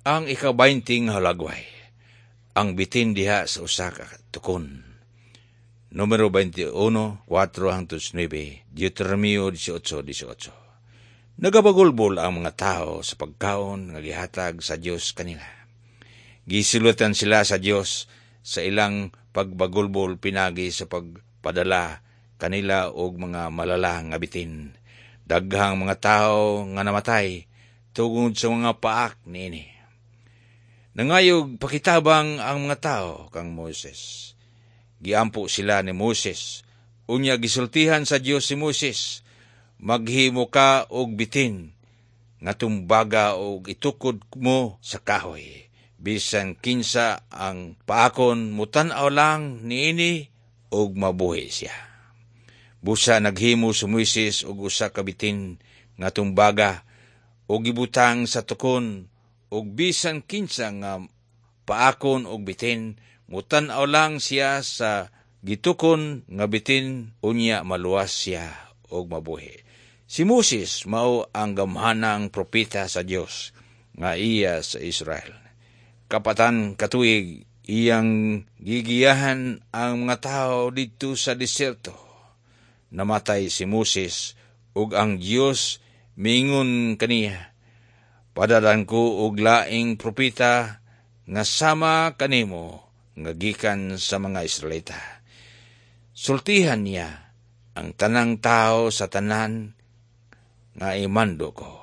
Ang ika-20 nga hulagway, ang bitin diha sa usa ka tukon. Numero 21, 4 hangtod 9, Deuteronomio 18:18. Nagabagulbol ang mga tao sa pagkaon nga gihatag sa Dios kanila. Gisilutan sila sa Dios sa ilang pagbagulbol pinagi sa pagpadala kanila og mga malala nga bitin. Daghang mga tao nga namatay tungod sa mga paak niini. Nangayog pakitabang ang mga tao kang Moises. Giampo sila ni Moises. Unya gisultihan sa Dios si Moises, "Maghimo ka og bitin nga tumbaga og itukod mo sa kahoy. Bisan kinsa ang paakon, mutan-aw lang niini og mabuhi siya." Busa naghimo si Moises og usa ka bitin nga tumbaga og gibutang sa tukon, og bisan kinsa nga paakon og bitin, mutan-aw lang siya sa gitukon nga bitin, unya maluwas siya og mabuhi. Si Moses mao ang gamhanang propeta sa Dios nga iya sa Israel. Kapatan katuig iyang gigiyahan ang mga tao didto sa diserto. Namatay si Moses ug ang Dios miingon kaniya, "Padalan ko og laing propeta nga sama kanimo nga gikan sa mga Israelita. Sultihan niya ang tanang tao sa tanan nga imando ko."